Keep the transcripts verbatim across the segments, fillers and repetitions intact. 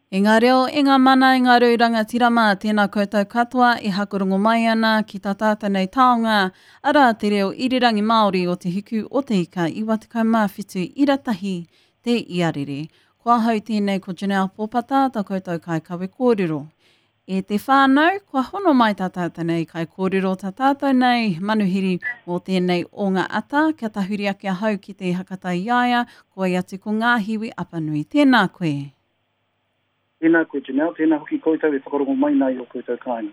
E ngā reo, e ngā mana, e ngā rau rangatira mā, tēnā koutou katoa e hakorongo mai ana ki tā tātou nei taonga, arā te reo irirangi Māori o Te Hiku o Te Ika iwa tekau mā whitu ira tahi te iarere. Ko ahau tēnei ko Janelle Pōpata, tā koutou kaikawe kōrero. E te whānau, kua hono mai tā tātou nei kai kōrero tā tātou nei manuhiri mō tēnei o ngā ata, kia tahuri ake ahau ki te hakata i aia, ko ai atu ko Ngāhiwi Apanui. Tēnā koe. Tēnā koe, Janelle, tēnā hoki koutou e whakarongo mai nei o koutou kāinga.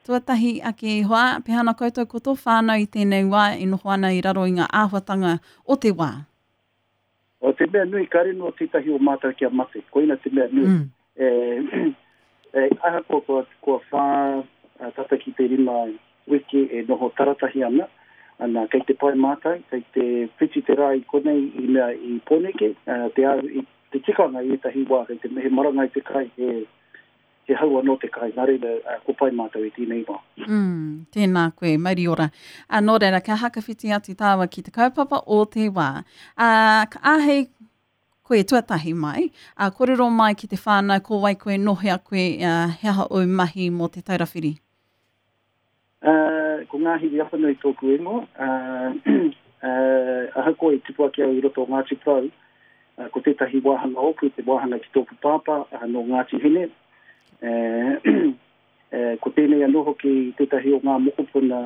Tuatahi ake i hoa, pehana koutou ko tō whānau i tēnei wā e noho ana i raro i ngā āhuatanga o te wā? O te mea nui, kāre no tētahi o mātou kia mate, koina te mea nui. Mm. E, e, ahakoa kua, kua whā tata ki te rima wiki e noho taratahi ana, ana kei te pai mātou, kei te whiti te rā i konei i mea i Pōneke, te ahu i te tikanga i ētahi wā, kei te he marangai te kai, he, he hau anō te kai, nā reira, ko pai mātou i tēnei wā. Mm, tēnā koe, mauri ora. A, nō reira, kia hakawhiti atu tāua ki te kaupapa o te wā. A, ka āhei koe tuatahi mai, a, kōrero mai ki te whānau, ko wai koe, nohea koe, a, he aha ou mahi mō Te Taura Whiri? Uh, ko Ngāhiwi Apanui tōku ingoa. Uh, uh, ahakoa i tupu ake au i roto o Ngāti Porou, uh, ko tētahi wāhanga ōku, te wāhanga ki tōku pāpā, uh, nō Ngāti Hine. Uh, uh, ko tēnei anō hoki tētahi o ngā mokopuna,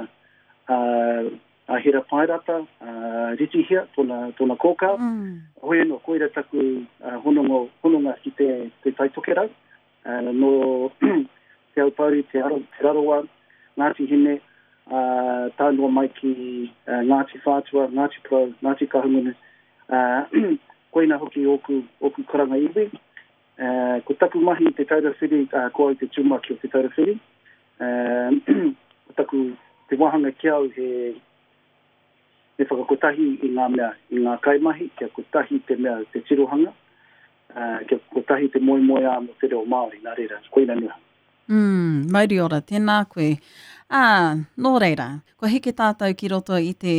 uh, a Hera Paerata, uh, Ritihia, tōna, tōna kōkā. Mm. Hoi anō, koira taku, uh, honongo, hononga ki te, te Tai Tokerau. Uh, nō Te Aupōuri, Te Aro, Te Rarawa, Ngāti Hine, uh, tae noa mai ki, uh, Ngāti Whātua, Ngāti Porou, Ngāti Kahungunu. Uh, koina hoki ōku, ōku karanga iwi. Uh, ko taku mahi i Te Taura Whiri, uh, ko au te tumuaki o Te Taura Whiri. Uh, ko taku, te wāhanga ki au he, he whakakotahi i ngā mea, i ngā kaimahi, kia kotahi te mea te tirohanga, uh, kia kotahi te moemoeā mō te reo Māori, nā reira, koina noa. Mm, mauri ora, tēnā koe. Ā, nō reira, kua heke tātou ki roto i te,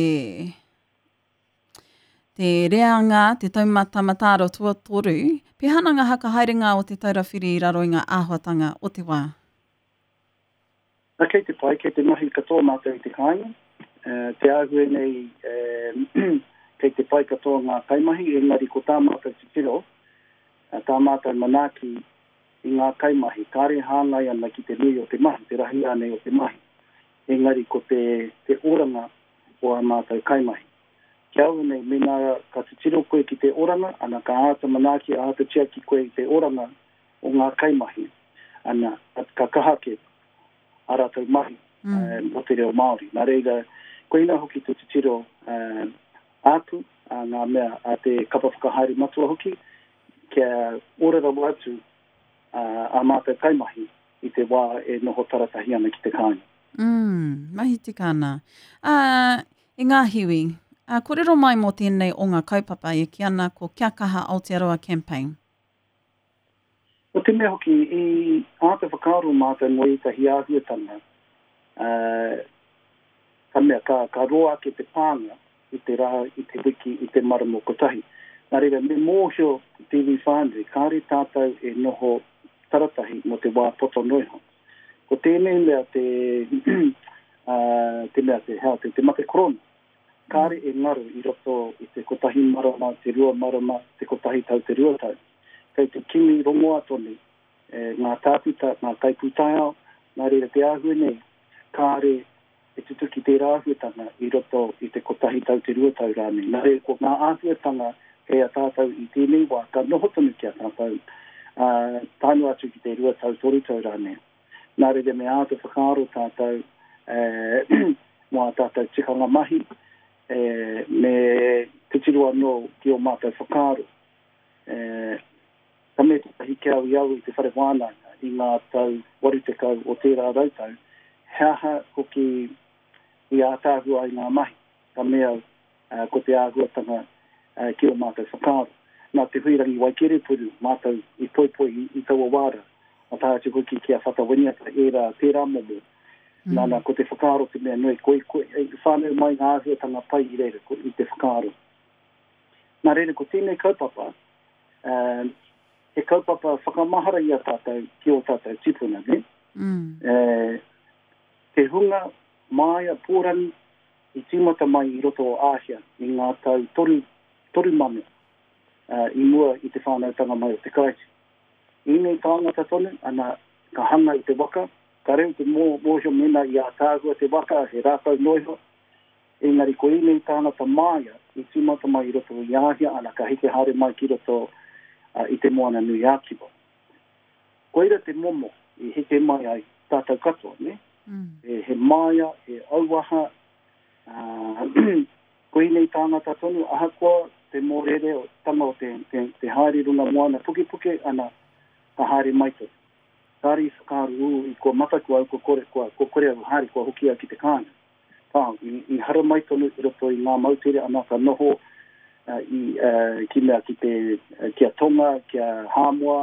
te reanga, te taumata mataara tuatoru, pehana ngā hakahaerenga o Te Taura Whiri i raro i ngā āhuatanga o te wā? Na, kei te pai, kei te mahi katoa mātou i te kāinga. Uh, te āhua nei, eh, kei te pai katoa ngā kaimahi, engari ko tā mātou titiro, uh, tā mātou manaaki i ngā kaimahi, kāre hāngai ana ki te nui o te mahi, te rahi anei o te mahi. Engari ko te, te oranga o ā mātou kaimahi. Kia au nei, mēnā ka titiro koe ki te oranga, ana ka āta manaaki, āta tiaki koe i te oranga o ngā kaimahi, ana ka kaha ake ā rātou mahi, Mm. eh, mō te reo Māori. Nā reira, koina hoki te titiro, eh, āku, a ngā mea, a te kapa whakahaere matua hoki, kia ora rawa atu, a, a mātou kaimahi i te wā e noho taratahi ana ki te kāinga. Mm, mahi tika ana. Ā, e Ngāhiwi, ā, kōrero mai mō tēnei o ngā kaupapa e kī ana ko Kia Kaha Aotearoa Campaign. O te mea hoki, i āta whakaaro mātou mō ētahi āhuatanga, uh, ka mea, ka, ka roa ake te pānga i te rā, i te wiki, i te marama kotahi. Nā reira, me mōhio te iwi whānui, kāre tātou e noho taratahi mō te wā poto noa iho. Ko tēnei mea te, uh, te mea te hea, te, te mate korona, kāre e ngaro i roto i te kotahi marama, te rua marama, te kotahi tau, te rua tau. Kei te kimi rongoa tonu, e, ngā tākuta, ngā kaipūtaiao, nā reira te āhua nei, kāre e tutuki tērā āhuatanga i roto i te kotahi tau, te rua tau rānei. Nā reira, ko ngā āhuatanga kei a tātou i tēnei wā, ka noho tonu ki a tātou, ā, tae noa atu ki te rua tau, toru tau rānei. Nā reira, me āta whakaaro tātou, e, mō ā tātou tikanga mahi, e, me titiro anō ki o mātou whakaaro. E, ka mea tētahi ki au i au i te whare wānanga i ngā tau waru tekau o tērā rautau, he aha hoki i ātaahua ai ngā mahi, ka mea, uh, ko te āhuatanga, uh, ki o mātou whakaaro. Nā te Huirangi Waikerepuru mātou i poipoi i, i taua wāra, a tae atu hoki ki a Whata Winiata, ērā, tērā momo. Mm. Nā, nā, ko te whakaaro te mea nui, ko, ko, e, whānau mai ngā āhuatanga pai i reira, ko, i te whakaaro. Nā reira, ko tēnei kaupapa, uh, he kaupapa whakamahara i a tātou ki o tātou tipuna, ne? Mm. E, te hunga māia pōrangi i tīmata mai i roto o Āhia i ngā tau toru, toru mano uh, i mua i te whānautanga mai o te Karaiti. Ēnei tāngata tonu, ana, ka hanga i te waka, ka reo te mō, mōhio mena i a tāhua te waka, he rākau noiho, engari ko ēnei tāngata māia i tīmata mai i roto i Āhia, ana, ka heke haere mai ki roto uh, i te Moana Nui Ākiwa. Koira te momo i heke mai ai tātou katoa, ne? Mm. He, he māia, he auaha, uh, ko ēnei tāngata tonu, ahakoa te mōrere o tanga o te, te, te haere runga moana pukepuke, ana, ka haere mai tonu. Kāre i whakaaro, ū, i kua mataku au, kua kore, kua, kua kore au haere, kua hoki au ki te kāinga. Kā, i, i hara mai tonu i roto i ngā moutere, ana ka noho uh, i, uh, ki mea ki te, uh, ki a Tonga, ki a Hāmoa,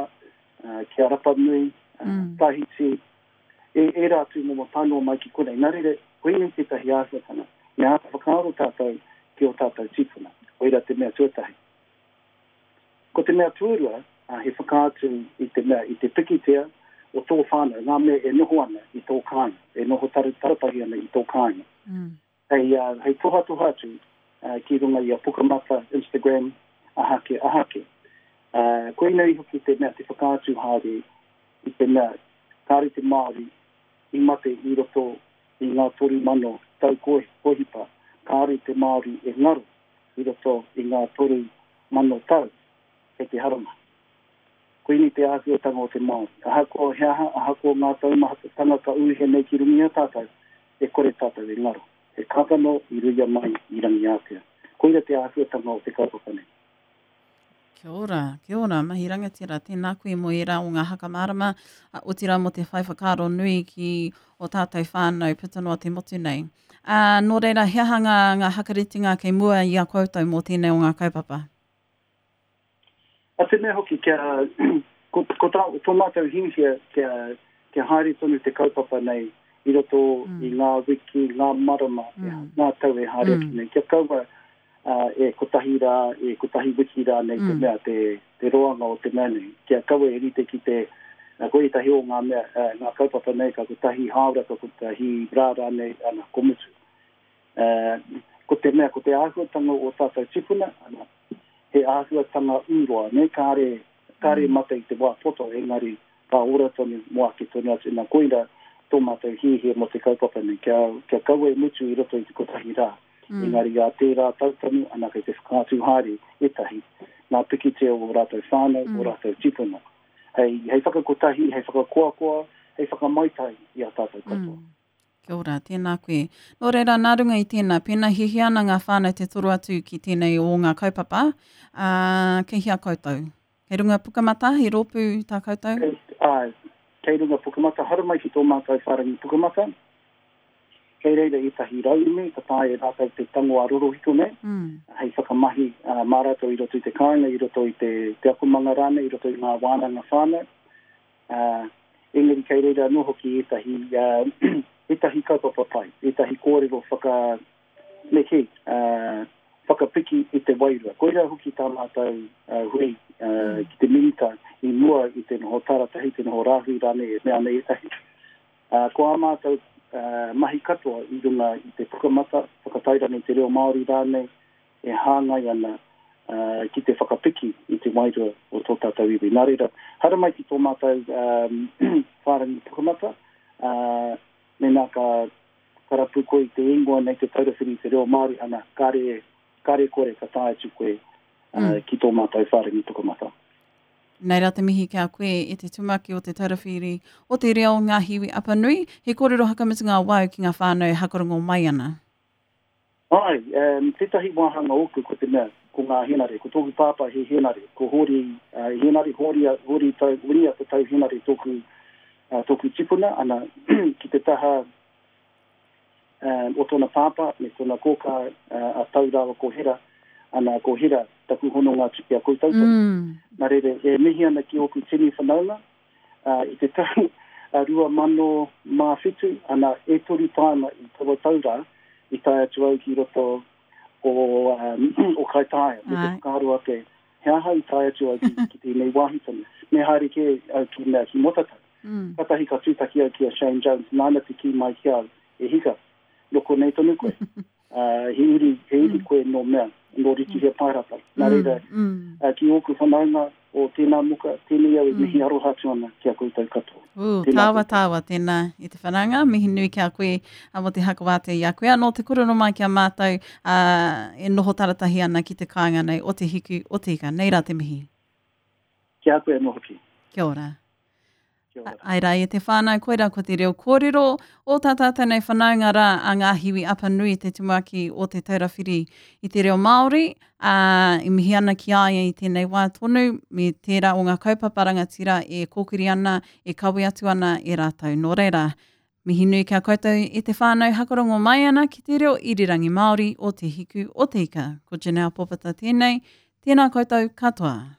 uh, ki a Rapanui, uh, Mm. Tahiti, e, e rā tū momo tānoa mai ki konei. Nā reira, koinei tētahi āhuatanga, me āta whakaaro tātou ki o tātou tīpuna. Koira te mea tuatahi. Ko te mea tuarua, uh, he whakaatu i te mea, i te pikitea o tō whānau, ngā mea e noho ana i tō kāinga, e noho tar taratahi ana i tō kāinga. Mm. Hei, uh, hei tohatoha atu uh, ki runga i a Pukamata, Instagram, ahake, ahake. Uh, koinei hoki te mea te whakaatu haere i te mea kāre te Māori i mate i roto i ngā toru mano tau kohipa, kāre te Māori e ngaro i roto i ngā toru mano tau kei te harama. Koinei te āhuatanga o te Māori. Ahakoa he aha, ahakoa ngā taumahatanga ka uhe nei ki runga i a tātou, e kore tātou e ngaro. He kākano i ruia mai i Rangiātea. Koira te āhuatanga o te kaupapa nei. Kia ora, kia ora, mahi rangatira, tēnā koe mō ērā o ngā hakamārama, otirā mō te whai whakaaro nui ki o tātou whānau puta noa te motu nei. Uh, nō reira, he aha ngā, ngā hakaritinga kei mua i a koutou mō tēnei o ngā kaupapa? A te mea hoki, kia, ko, ko tā, tō mātou hiahia kia, kia haere tonu te kaupapa nei i roto mm. i ngā wiki, ngā marama, mm. ngā tau e haere Mm. ake nei. Kia kaua uh, e kotahi rā, e kotahi wiki rā nei Mm. te mea, te, te roanga o te mea nei. Kia kaua e rite ki te, uh, ko ētahi o ngā mea, uh, ngā kaupapa nei, ka kotahi hāora, ka kotahi rā rā nei, ana, ko mutu. Uh, ko te mea, ko te āhuatanga o tātou tipuna, ana, he āhuatanga ūroa, ne, kāre, kāre Mm. mate i te wā poto, engari ka ora tonu mō ake tonu atu. Nā koira tō mātou hiahia mō te kaupapa nei, kia, kia kaua e mutu i roto i te kotahi rā. Mm. Engari a tērā tau tonu, ana kei te whakaatu haere ētahi, ngā pikitia o rātou whānau, Mm. o rātou tipuna. Hei, hei whakakotahi, hei whakakoakoa, hei whakamaitai i a tātou katoa. Mm. Kia ora, tēnā koe. Nō reira, nā runga i tēnā, pēnā hiahia ana ngā whānau te toro atu ki tēnei o ngā kaupapa, uh, kei hea koutou? Kei runga Pukamata, he rōpū tā koutou? Kei, āe, kei runga Pukamata, haramai ki tō mātou whārangi Pukamata. Kei reira ētahi rauemi, ka taea e rātou te tango a rorohiko nei, Mm. hei whakamahi uh, mā rātou i roto i te kāinga, i roto i te, te akomanga rānei, i roto i ngā wānanga whānau. Uh, engari kei reira anō hoki ētahi, uh, ētahi kaupapa pai, ētahi kōrero whaka, me kī, uh, whakapiki i te wairua. Koira hoki tā mātou uh, hui uh, ki te minita i mua i te noho taratahi, te noho rāhui rānei e mea nei ētahi. Uh, ko ā mātou uh, mahi katoa i runga i te Pukamata, whakatairanga i te reo Māori rānei, e hāngai ana uh, ki te whakapiki i te wairua o tō tātou iwi. Nā reira, haramai ki tō mātou um, whārangi Pukamata, uh, mēnā ka karapu koe i te ingoa nei te Taura Whiri i te reo Māori, ana, kāre, kāre kore ka tae atu koe uh, Mm. ki tō mātou whārangi Pukamata. Nei rā te mihi ki a koe e te tumaki o te Taura Whiri o te reo Ngahiwi Apanui, he kōrero hakamutunga wau ki ngā whānau hakarongo mai ana. Ai, um, tētahi wāhanga ōku ko te mea, ko ngā henare, ko tōku pāpā he henare, ko Hori, uh, henare, Hori, Hori tau, Winia te tau henare tōku, uh, tōku tipuna, ana, ki te taha um, o tōna pāpā, me tōna kōkā uh, a tau rāua ko Hera, ana ko Hera taku hononga atu ki a koutou tonu. Mm. Nā reira, e mihi ana ki ōku tini whanaunga, uh, i te tau uh, rua mano mā whitu, ana e toru tāima i taua tau rā, i tae atu au ki roto o, um, o Kaitaia, me te Ai. whakaaro ake, He aha i tae atu au ki, ki tēnei wāhi tonu. Me haere kē au ki mea ki Motatau. Mm. Katahi ka tūtaki au ki a Shane Jones, nāna te kī mai ki au, e hika, nō konei tonu koe. Uh, he uri, he uri Mm. koe nō mea, nō Ritihia Paerata. Nā reira, Mm. Mm. uh, ki ōku whanaunga o tēnā muka, tēnei au e Mm. mihi aroha atu ana ki a koutou katoa. Ū, Tēnā tāwa koutou. tāwa tēnā i te whanaunga, mihi nui ki a koe a mo te hakawātea i a koe. Anō te korono mai ki a mātou uh, e noho taratahi ana ki te kāinga nei o te hiku, o te ika. Nei rā te mihi. Ki a koe anō hoki. Kia ora. Kia ora. Ai rā e te whānau, koira ko te reo kōrero o tā tātou nei whanaunga rā a Ngāhiwi Apanui te tumuaki o te Taurawhiri i te reo Māori, ā, i mihi ana ki a ia i tēnei wā tonu, me tērā o ngā kaupapa rangatira e kōkiri ana, e kawe atu ana e rātou. Nō reira, mihi nui kia koutou e te whānau hakarongo mai ana ki te reo irirangi Māori o te hiku o te ika. Ko Janelle Popata tēnei, tēnā koutou katoa.